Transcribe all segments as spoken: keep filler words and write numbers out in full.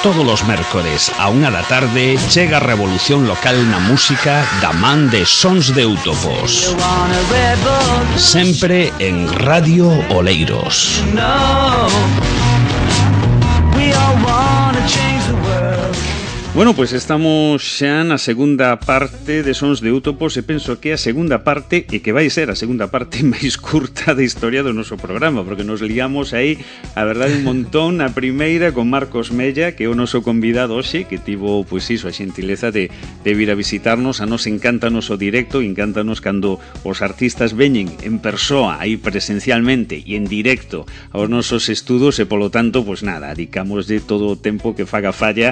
Todos os mércores a unha da tarde chega a revolución local na música da man de Sons de Eutopos. Sempre en Radio Oleiros. Bueno, pois pues estamos xa na segunda parte de Sons de Eutopos e penso que a segunda parte, e que vai ser a segunda parte máis curta da historia do noso programa, porque nos liamos aí, a verdade, un montón na primeira con Marcos Mella, que é o noso convidado hoxe, que tivo, pois iso, a xentileza de, de vir a visitarnos. A nos encántanos o directo, encántanos cando os artistas veñen en persoa, aí presencialmente e en directo aos nosos estudos, e polo tanto, pois nada, dedicamos de todo o tempo que faga falla,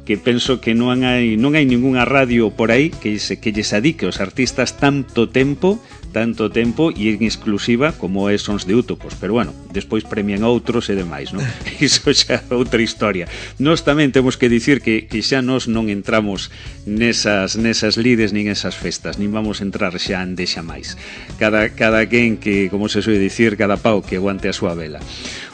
que penso que non hai non hai ningunha radio por aí que se que lles adique aos artistas tanto tempo, tanto tempo e en exclusiva como é Sons de Eutopos, pero bueno, despois premian outros e demais, non? Iso xa é outra historia. Nós tamén temos que dicir que, que xa nós non entramos nesas nesas lides nin esas festas, nin vamos entrar xa ande xa máis. Cada, cada quen que, como se soe dicir, cada pau que aguante a súa vela.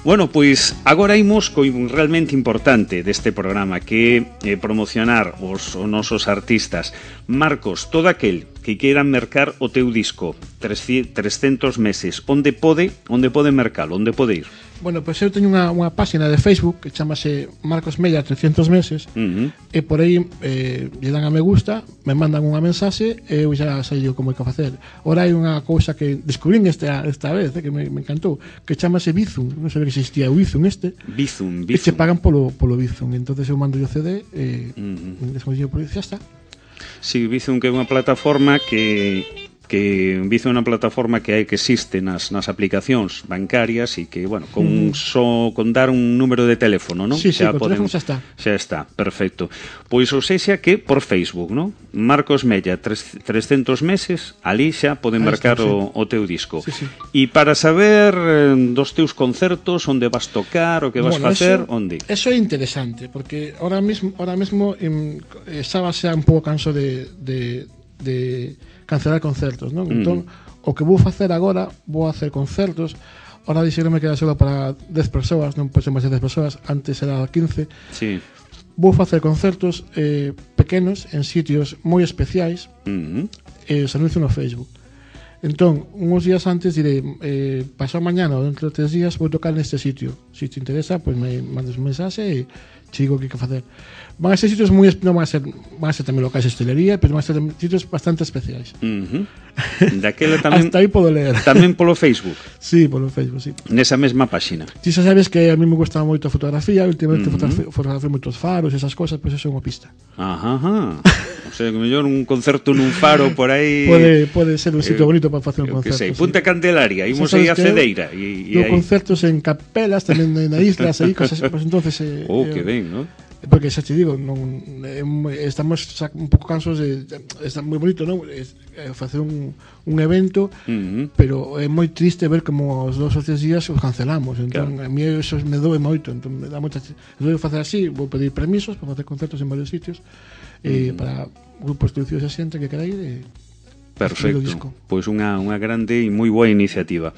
Bueno, pois agora imos co realmente importante deste programa, que é eh, promocionar os, os nosos artistas. Marcos, todo aquel que queiran mercar o teu disco trescentos meses, onde pode onde pode mercalo, onde pode ir? Bueno, pois pues eu teño unha, unha página de Facebook que chamase Marcos Mella trescentos meses, uh-huh. e por aí eh, lle dan a me gusta, me mandan unha mensaxe e eu xa sei eu como hai que facer. Ora hai unha cousa que descubrín esta, esta vez, eh, que me, me encantou, que chamase Bizum. Non sabía que existía o Bizum este. Bizum, E Bizum. se pagan polo, polo Bizum. Entonces eu mando o C D e uh-huh. desconsigo por aí, xa está. Si, sí, Bizum, que é unha plataforma que... que Bizum é unha plataforma que hai que existe nas, nas aplicacións bancarias e que, bueno, con mm. só con dar un número de teléfono, non? Sí, sí, xa podemos, xa está. Xa está, perfecto. Pois ou sexa que por Facebook, non? Marcos Mella, trescentos meses, ali xa poden marcar está, o, sí. o teu disco. Sí, sí. E para saber eh, dos teus concertos, onde vas tocar, o que vas bueno, facer, eso, onde? Eso é interesante, porque ahora mesmo, ahora mesmo em, estaba xa un pouco canso de, de, de cancelar concertos, non? Mm. Entón, o que vou facer agora, vou hacer concertos. Ahora dixeron me queda solo para dez persoas, non pode ser máis de dez persoas, antes era quince. Sí. Vou facer concertos eh, pequenos en sitios moi especiais, mm-hmm. e os anuncio no Facebook. Entón, uns días antes direi, eh, pasado mañana ou dentro de tres días vou tocar neste sitio. Se te interesa, pois pues me mandas un mensaxe e te digo o que hai que facer. Van a ser sitios moi, non van a ser, van a ser tamén locais de hostelería, pero van a ser sitios bastante especiais. Uh-huh. Daquela tamén hasta aí podo ler. Tamén polo Facebook. Sí, polo Facebook, sí. Nesa mesma páxina. Ti xa sabes que a mí me gusta moito a fotografía, últimamente uh-huh. fotografía moitos faros, esas cosas, pois pues eso é unha pista. Ajá, ajá. O sea, que mellor un concerto nun faro por aí. Pode, pode ser un sitio eh, bonito para facer un concerto. Que sei, Punta sí. Candelaria, imos aí a Cedeira e e concertos en capelas, tamén na islas, aí cosas, pues entonces eh, oh, que ben, ¿no? Porque xa te digo, non, estamos un pouco cansos de, está moi bonito, non? É facer un, un evento, uh-huh. pero é moi triste ver como os dos ou tres días os cancelamos. Entón, claro. A mí eso me doe moito, entón me dá moita. Entón, vou facer así, vou pedir permisos para facer concertos en varios sitios, uh-huh. eh, para grupos producidos a xente que quera ir e perfecto, pois unha, unha grande e moi boa iniciativa.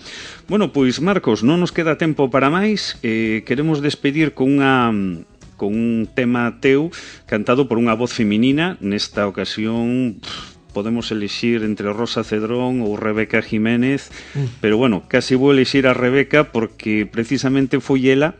Bueno, pois Marcos, non nos queda tempo para máis, eh, queremos despedir con unha con un tema teu cantado por unha voz feminina. Nesta ocasión pff, podemos elixir entre Rosa Cedrón ou Rebeca Jiménez, mm. pero bueno, casi vou elixir a Rebeca porque precisamente foi ela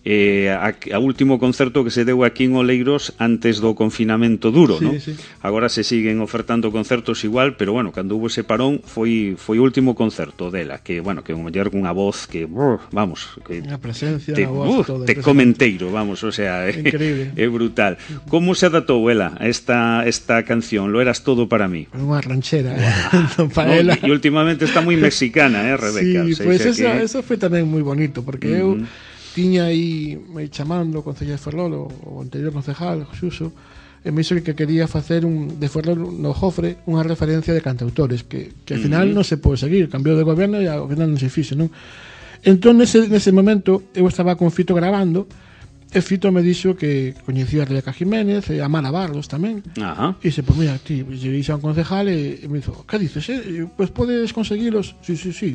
eh, a, a último concerto que se deu aquí en Oleiros antes do confinamento duro, sí, ¿no? Sí. Agora se siguen ofertando concertos igual, pero bueno, cando hubo ese parón foi foi o último concerto dela, que bueno, que mellor cunha voz que brr, vamos, que a presencia, te, a voz, uh, todo, te comenteiro, vamos, o sea, é, é brutal. Como se adaptou ela a esta esta canción? Lo eras todo para mí. Unha ranchera, wow. Para no, ela. E últimamente está moi mexicana, eh, Rebeca. Sí, pois pues eso, que... eso foi tamén moi bonito, porque uh-huh. eu tiña aí me chamando o concejal de Ferrol, o anterior concejal, Xuso, e me dixo que quería facer un, de Ferrol no Jofre unha referencia de cantautores, que, que al final uh-huh. non se pode seguir, cambiou de goberno e ao final non se fixe, non? Entón, nese, nese momento, eu estaba con Fito grabando, e Fito me dixo que coñecía a Rebeca Jiménez e a Mara Barros tamén. Ajá. E dixo, pues mira, ti, lle dixo a un concejal e, e me dixo, que dices, eh? Pues podes conseguilos? Sí, sí, sí.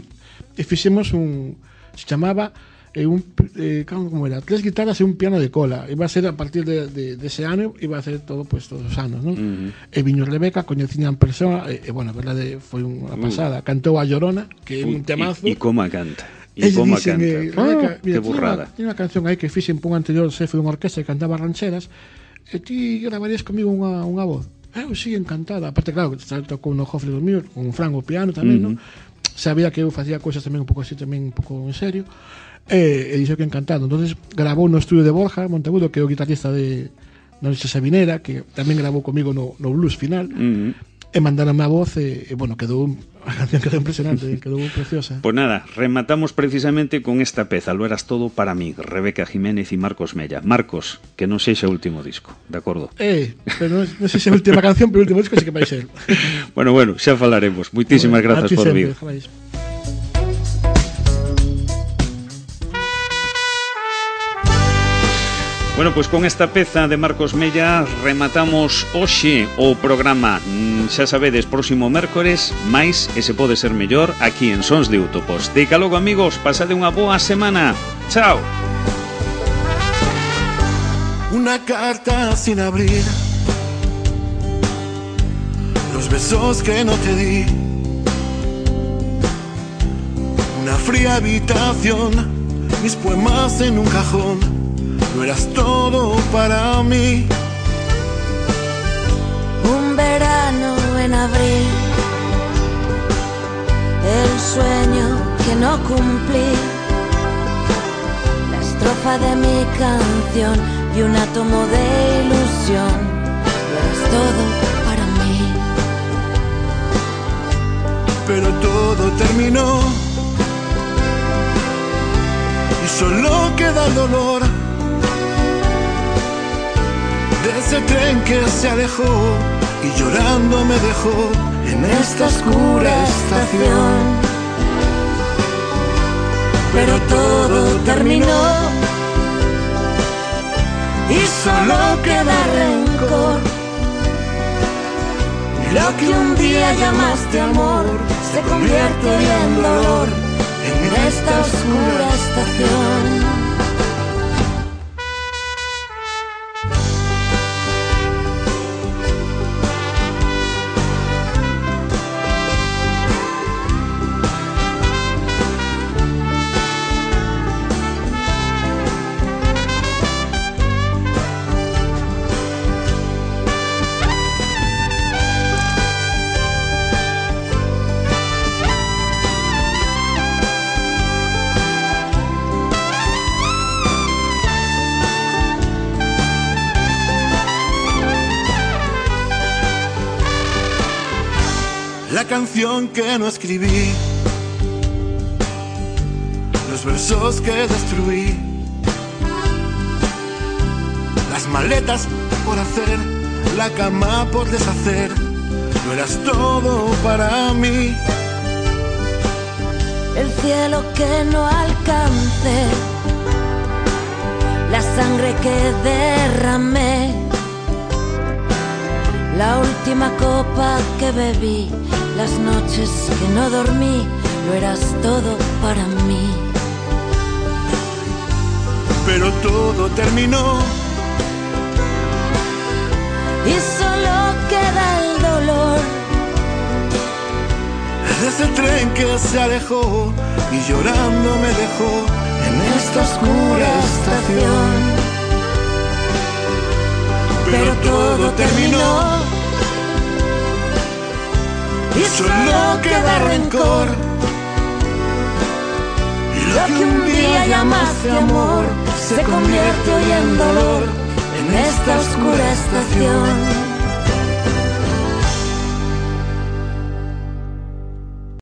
E fixemos un, se chamaba e un, eh, como era, tres guitarras e un piano de cola. Iba a ser a partir de, de, de ese ano, iba a ser todo, pues, todos os anos, non? Uh-huh. E viño Rebeca, coñecían en persona, e, e bueno, a verdade, foi unha pasada. Uh. Cantou a Llorona, que é un temazo. E como canta? E como canta? Eh, Rebeca, oh, mira, que burrada. Tiene unha canción aí que fixen por un anterior xefe dunha orquesta que cantaba rancheras, e ti gravarías comigo unha, unha voz? Eu sí, encantada. Aparte, claro, tocou no Jofre dos míos, con Fran o piano tamén, uh-huh. non? Sabía que eu facía cousas tamén un pouco así, tamén un pouco en serio, e, e dixo que encantado. Entonces grabou no estudio de Borja Monteagudo, que é o guitarrista de Noche Sabinera, que tamén grabou comigo no, no blues final, uh-huh. e mandaron a voz, e, e bueno, quedou a canción quedou impresionante, quedou preciosa. Pues nada, rematamos precisamente con esta peza, Lo eras todo para mí, Rebeca Jiménez y Marcos Mella. Marcos, que non sexa o último disco, de acordo? Eh, pero non, non sei se é a última canción, pero o último disco sí que vai ser. Bueno, bueno, xa falaremos. Moitísimas bueno, grazas por vir. Bueno, pois pues con esta peza de Marcos Mella rematamos hoxe o programa. Xa sabedes, próximo mércores, máis e se pode ser mellor aquí en Sons de Útopos. Deica logo, amigos, pasade unha boa semana. Chao. Una carta sin abrir, los besos que no te di, una fría habitación, mis poemas en un cajón. Tú eras todo para mí. Un verano en abril, el sueño que no cumplí, la estrofa de mi canción y un átomo de ilusión. Tú eras todo para mí. Pero todo terminó y solo queda el dolor de ese tren que se alejó y llorando me dejó en esta oscura estación. Pero todo terminó y solo queda rencor. Lo que un día llamaste amor se convierte hoy en dolor en esta oscura estación. La canción que no escribí, los versos que destruí, las maletas por hacer, la cama por deshacer. Tú eras todo para mí. El cielo que no alcancé, la sangre que derramé, la última copa que bebí, las noches que no dormí, lo eras todo para mí. Pero todo terminó y solo queda el dolor de ese tren que se alejó y llorando me dejó en esta oscura estación. Pero todo terminó y solo queda rencor. Y lo que un día llamaste amor se convierte hoy en dolor en esta oscura estación.